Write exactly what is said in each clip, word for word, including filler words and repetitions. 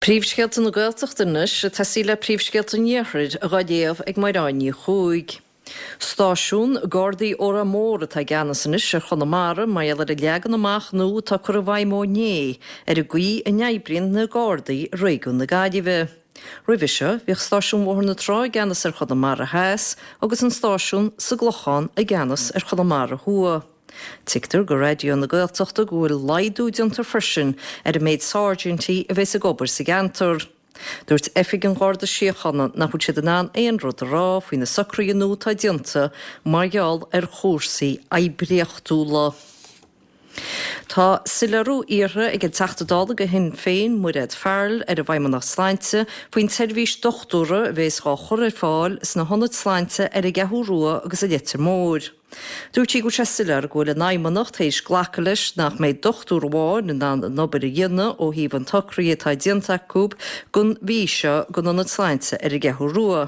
Príomhscéalta na Gaeltachta anois ag tosaí le príomhscéalta an Iarthair dhá léamh ag Mairéad Ní Chuaig. Stáisiún Gardaí Órán Mór atá i gceannas anois ar Chonamara mar gheall ar an leagan amach nua atá curtha i bhfeidhm ó inné ar an gcaoi a n-oibríonn na Gardaí i réigiún na Gaillimhe. Roimhe seo, bhíodh stáisiún Bhóthar na Trá i gceannas ar Chonamara Theas agus an stáisiún sa gClochán i gceannas ar Chonamara Thuaidh. Tuigtear do Raidió na Gaeltachta go bhfuil laghdú déanta freisin ar an méid sáirsintí a bheas ag obair sa gceantar. Dúirt Oifig an Gharda Síochána nach bhfuil siad in ann aon rud a rá faoi na socruithe nua atá déanta mar gheall ar chúrsaí oibríochtúla. Tá soiléiriú iarrtha ag an Teachta Dála do Shinn Féin, Mairéad Farrell, ar an bhFeidhmeannacht Sláinte faoin tseirbhís dochtúra a bheas dhá chur ar fáil sna hionaid sláinte ar an gCeathrú Rua agus i Leitir Móir. Dúirt sí go bhfuil sé soiléir go bhfuil an Fheidhmeannacht théis glacadh leis nach mbeidh dochtúir amháin in ann an obair a dhéanamh ó thaobh an tsocraithe atá déanta acu don mhí seo don ionad sláinte ar an gCeathrú Rua.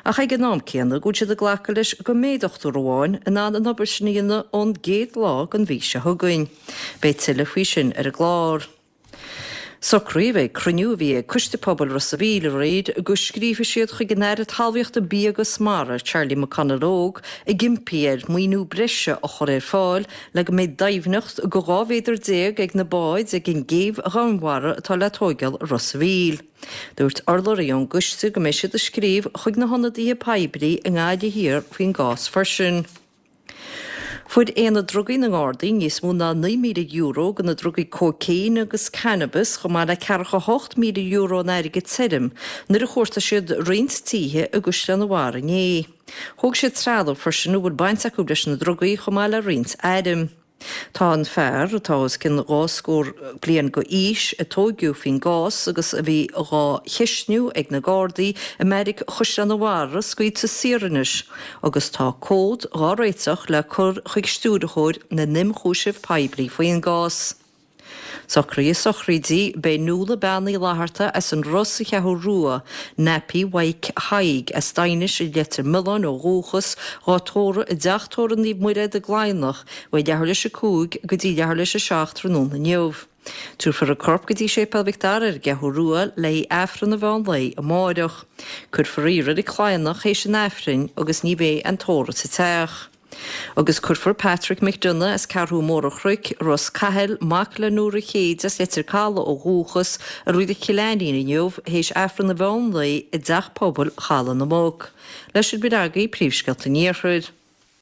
Ach ag an am céanna go bhfuil siad ag glacadh leis go mbeidh dochtúir amháin in ann an obair sin a dhéanamh ón gcéad lá den mhí seo chugainn. Beidh tuilleadh faoi sin ar an gclár. Socraíodh ag cruinniú a bhí ag Coiste Pobail Ros a' Mhíl aréir go scríobfaidh siad chuig an Aire Talmhaíochta, Bia agus Mara, Charlie McConalogue, ag impí air maoiniú breise a chur ar fáil le go mbeidh doimhneacht go dhá mhéadar déag ag na báid ag an gcéibh dhomhainmhara atá le tóigeáil i Ros a' Mhíl. Dúirt urlabhraí ón gcoiste go mbeidh siad ag scríobh chuig na hionadaithe poiblí i nGaillimh Thiar faoin gcás freisin. Fuair Aonad Drugaí na nGardaí níos mó ná naoi míle euro de na drugaí cócaon agus cannabis chomh maith le ceathracha a hocht míle euro in airgead tirim nuair a chuartaigh siad roinnt tithe i gCaisleán an Bharraigh inné. Thóg siad trealamh freisin a bhfuil baint acu leis na drugaí chomh maith le roinnt airm. Tá an fear, atá os cionn dhá scór bliain d'aois, a tóigeadh faoin gcás agus a bhí dhá cheistniú ag na Gardaí i mbeairic Chaisleán an Bharraigh scaoilte saor anois agus tá comhad dhá réiteach le cur chuig Stiúrthóir na nImchúiseamh Poiblí faoin gcás. Socruithe sochraide, Beidh Nuala Bean Uí Fhlatharta as an Ros sa Cheathrú Rua, Nappy Mhaidhc Thaidhg as Daighinis i Leitir Mealláin ó dhúchas, dhá tórramh i dTeach Tórraimh Naomh Muire i gCladhnach uaidh leathuair leis a cúig go dtí leathuair leis a seacht tráthnóna inniu. Tabharfar a corp go dtí Séipéal Mhic Dara ar an gCeathrú Rua le haghaidh Aifreann an mheán lae amáireach. Cuirfear í i Reilig Chladhnach théis an Aifrinn agus ní bheidh aon tórramh sa teach. Agus cuirfear Patrick McDonagh as Ceathrú Mór an Chnoic, Ros Cathail, mac le Nóra Chéide as Leitir Calaidh ó dhúchas, i Reilig Chill Ainnín inniu, théis Aifreann an mheán lae i dTeach Pobail Chaladh na Muc. Leis sin b'in agaibh príomhscéalta an Iarthair.